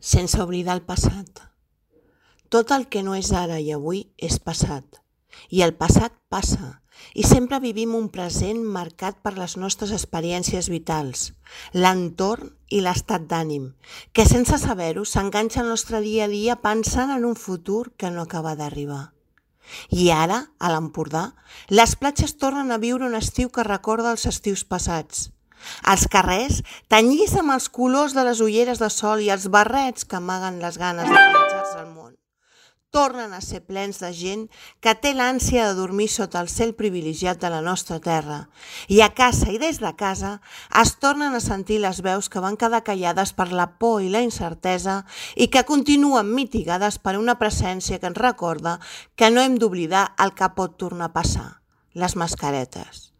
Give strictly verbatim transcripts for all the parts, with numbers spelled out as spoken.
sense oblidar el passat. Tot el que no és ara i avui és passat, i el passat passa, i sempre vivim un present marcat per les nostres experiències vitals, l'entorn i l'estat d'ànim, que sense saber-ho s'enganxa al nostre dia a dia pensant en un futur que no acaba d'arribar. I ara, a l'Empordà, les platges tornen a viure un estiu que recorda els estius passats. Els carrers, tenyits amb els colors de les ulleres de sol i els barrets que amaguen les ganes de menjar-se al món, tornen a ser plens de gent que té l'ànsia de dormir sota el cel privilegiat de la nostra terra. I a casa i des de casa es tornen a sentir les veus que van quedar callades per la por i la incertesa i que continuen mitigades per una presència que ens recorda que no hem d'oblidar el que pot tornar a passar, les mascaretes.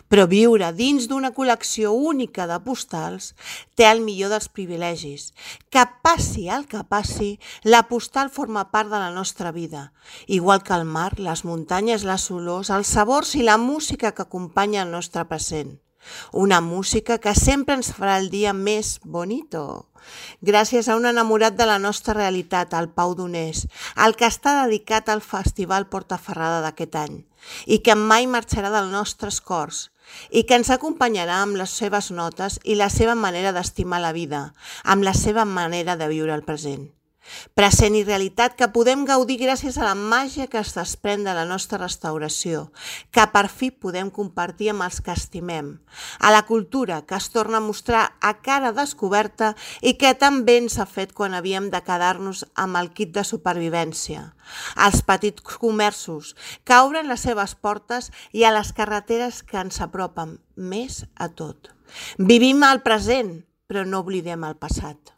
Però viure dins d'una col·lecció única de postals té el millor dels privilegis. Que passi el que passi, la postal forma part de la nostra vida, igual que el mar, les muntanyes, les olors, els sabors i la música que acompanya el nostre present. Una música que sempre ens farà el dia més bonito. Gràcies a un enamorat de la nostra realitat, el Pau Donés, el que està dedicat al Festival Portaferrada d'aquest any, i que mai marxarà dels nostres cors, i que ens acompanyarà amb les seves notes i la seva manera d'estimar la vida, amb la seva manera de viure el present. Present i realitat que podem gaudir gràcies a la màgia que es desprèn de la nostra restauració, que per fi podem compartir amb els que estimem, a la cultura que es torna a mostrar a cara descoberta i que tan bé ens ha fet quan havíem de quedar-nos amb el kit de supervivència, als petits comerços que obren les seves portes i a les carreteres que ens apropen més a tot. Vivim el present, però no oblidem el passat.